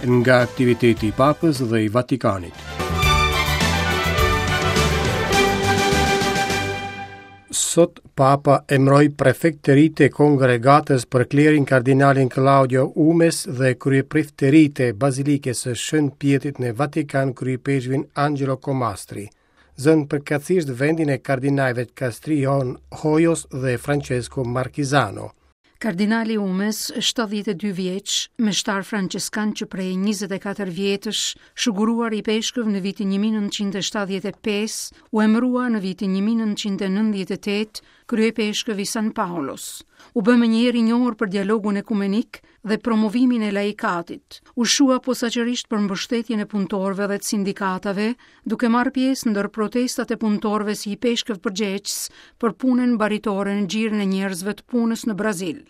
Nga aktiviteti i Papës dhe i Vatikanit. Sot Papa emëroi prefekt të ri të Kongregatës për Klerin kardinalin Claudio Hummes dhe kryeprift të ri të Bazilikës së Shën Pjetrit në Vatikan kryeipeshkvin Angelo Comastri. Zënë përkatësisht vendin e kardinajve Castrillon Hoyos dhe Francesco Marchisano. Kardinali Hummes, 72 vjeç, meshtar françeskan që prej 24 vjetësh, shuguruar ipeshkëv në vitin 1975, u emërua në vitin 1998 kryeipeshkëv i San Paolos. U bë menjëherë i njohur për dialogun ekumenik dhe promovimin e laikatit. U shqua posaçërisht për mbështetjen e punëtorëve dhe të sindikatave, duke marrë pjesë ndër protestat e punëtorëve si ipeshkëv përgjegjës për punën baritore në gjirin e njerëzve të punës në Brazil.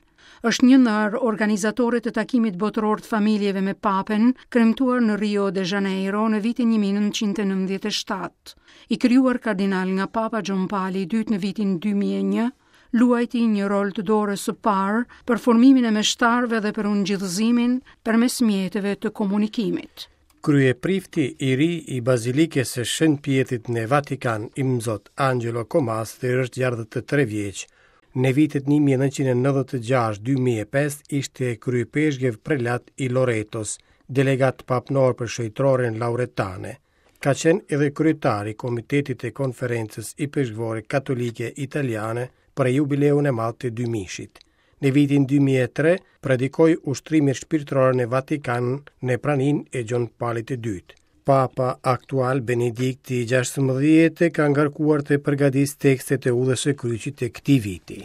Është një ndër organizatorët e takimit botëror të familjeve me Papen, kremtuar në Rio de Janeiro në vitin 1997. I krijuar kardinal nga Papa Gjon Pali i II në vitin 2001, luajti një rol të dorës së parë për formimin e meshtarëve dhe për ungjillëzimin përmes mjeteve të komunikimit. Kryeprifti i ri i Bazilikës së Shën Pjetrit në Vatikan, Imzot Angelo Comastri është 63 vjeç. Në vitet 1996-2005 ishte kryeipeshkëv prelat i Loretos, delegat papnor për shejtroren Lauretane. Ka qenë edhe kryetar i Komitetit të Konferencës Ipeshkvore Katolike Italiane për jubileun e madh të dymijëshit. Në vitin 2003 predikoi ushtrimet shpirtërore në Vatikan në praninë e Gjon Palit të II. Papa aktual Benedikti XVI e ka ngarkuar të përgatisë tekstet e udhës së kryqit të këtij viti.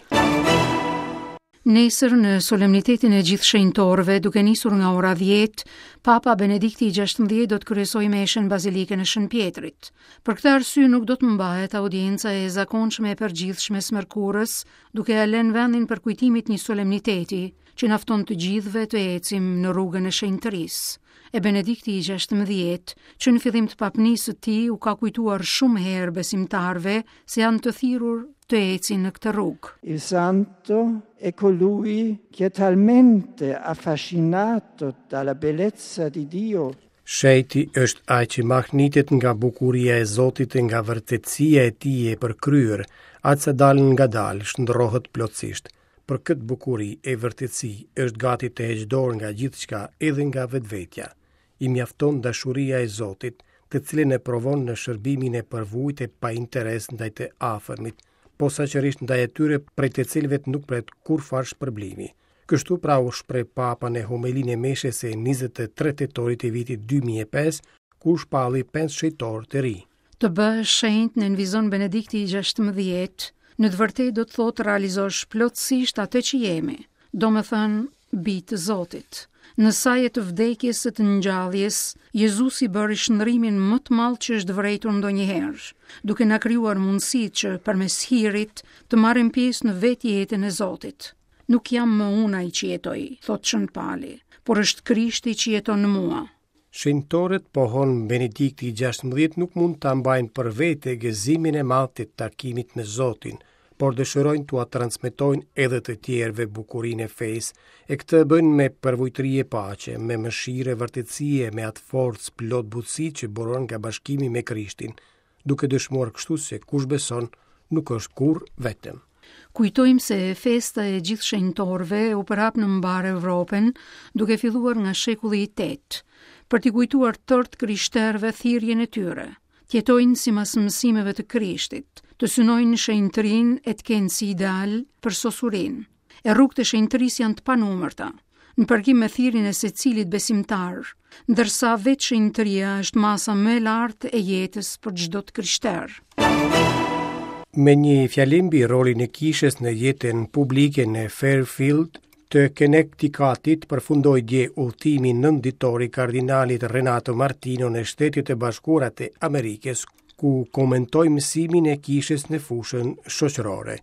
Nesër në solemnitetin e gjithë shenjtorëve, duke nisur nga ora 10, Papa Benedikti i 16 do të kryesojë meshën në Bazilikën e Shën Pjetrit. Për këtë arsye nuk do të mbahet audienca e zakonshme e përgjithshme së mërkurës, duke ia lënë vendin përkujtimit një solemniteti që na fton të gjithëve të ecim në rrugën e shenjtërisë. E Benedikti i 16, që në fillim të papnisë së tij u ka kujtuar shumë herë besimtarëve se janë të thirrur të ecin në këtë rrugë. Il santo è colui che è talmente affascinato dalla bellezza di Dio Shenjti është ai që mahnitet nga bukuria e Zotit e nga vërtetësia e tij e përkryer, aq sa dalëngadalë shndërrohet plotësisht. Për këtë bukuri e vërtetësi është gati të heqë dorë nga gjithçka, edhe nga vetvetja. I mjafton dashuria e Zotit, të cilën e provon në shërbimin e përvujtë e pa interes ndaj të afërmit, posaçërisht ndaj atyre prej të cilëve nuk pret kurrfarë shpërblimi. Kështu pra u shpreh Papa në homelinë e meshës së 23 tetorit të vitit 2005, kur shpalli 5 shenjtorë të rinj. Të bëhesh shenjt, nënvizon Benedikti i 16, në të vërtetë do të thotë të realizosh plotësisht atë që jemi, domethënë bij të Zotit. Në saje të vdekjes e të ngjalljes, Jezusi bëri shndërrimin më të madh që është vërejtur ndonjëherë, duke na krijuar mundësitë që përmes hirit të marrim pjesë në vetë jetën e Zotit. Nuk jam më unë ai që jetoj, thotë Shën Pali, por është Krishti që jeton në mua. Shenjtorët, pohon Benedikti i 16, nuk mund ta mbajnë për vete gëzimin e madh të takimit me Zotin, por dëshirojnë t'ua transmetojnë edhe të tjerëve bukurinë e fesë, e këtë e bëjnë me përvujtëri e paqe, me mëshirë e vërtetësi e me atë forcë plot butësi që buron nga bashkimi me Krishtin, duke dëshmuar kështu se kush beson nuk është kurrë vetëm. Kujtojmë se festa e gjithë shenjtorëve u përhap në mbarë Evropën, duke filluar nga shekulli i 8, për t'i kujtuar tërë të krishterëve thirrjen e tyre, të jetojnë sipas mësimeve të Krishtit, të synojnë shenjtërinë e të kenë si ideal përsosurinë. E rrugët e shenjtërisë janë të panumërta, në përkim me thirrjen e secilit besimtar, ndërsa vetë shenjtëria është masa më e lartë e jetës për çdo të krishterë. Me një fjalim mbi rolin e kishës në jetën publike në Fairfield të Connecticutit përfundoi dje udhëtimi nëntëditor i kardinalit Renato Martino në Shtetet e Bashkuara të Amerikës, ku komentoi mësimin e kishës në fushën shoqërore.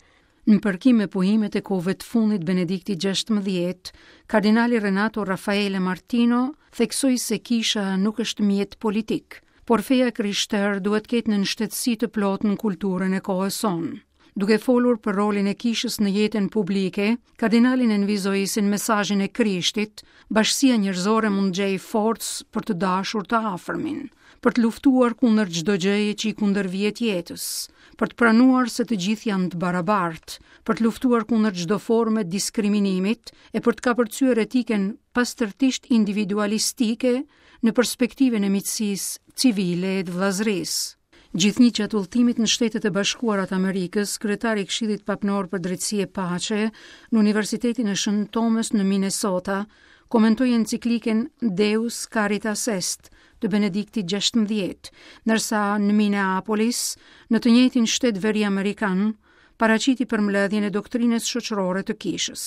Në përkim me pohimet e kohëve të fundit Benedikti 16, kardinali Renato Raffaele Martino theksoi se kisha nuk është mjet politik, por feja e krishterë duhet të ketë nënshtetësi të plotë në kulturën e kohës sonë. Duke folur për rolin e kishës në jetën publike, kardinali nënvizoi se në mesazhin e Krishtit, bashkësia njerëzore mund të gjejë forcë për të dashur të afërmin, për të luftuar kundër çdo gjëje që i kundërvihet jetës, për të pranuar se të gjithë janë të barabartë, për të luftuar kundër çdo forme diskriminimit e për të kapërcyer etikën pastërtisht individualistike në perspektivën e miqësisë civile e të vëllazërisë. Gjithnjë gjatë udhëtimit në Shtetet e Bashkuara të Amerikës, kryetari i Këshillit Papnor për Drejtësi e Paqe në Universitetin e Shën Tomës në Minnesota, komentoi enciklikën Deus Caritas Est të Benediktit XVI, ndërsa në Minneapolis, në të njëjtin shtet veri amerikan, paraqiti përmbledhjen e doktrinës shoqërore të kishës.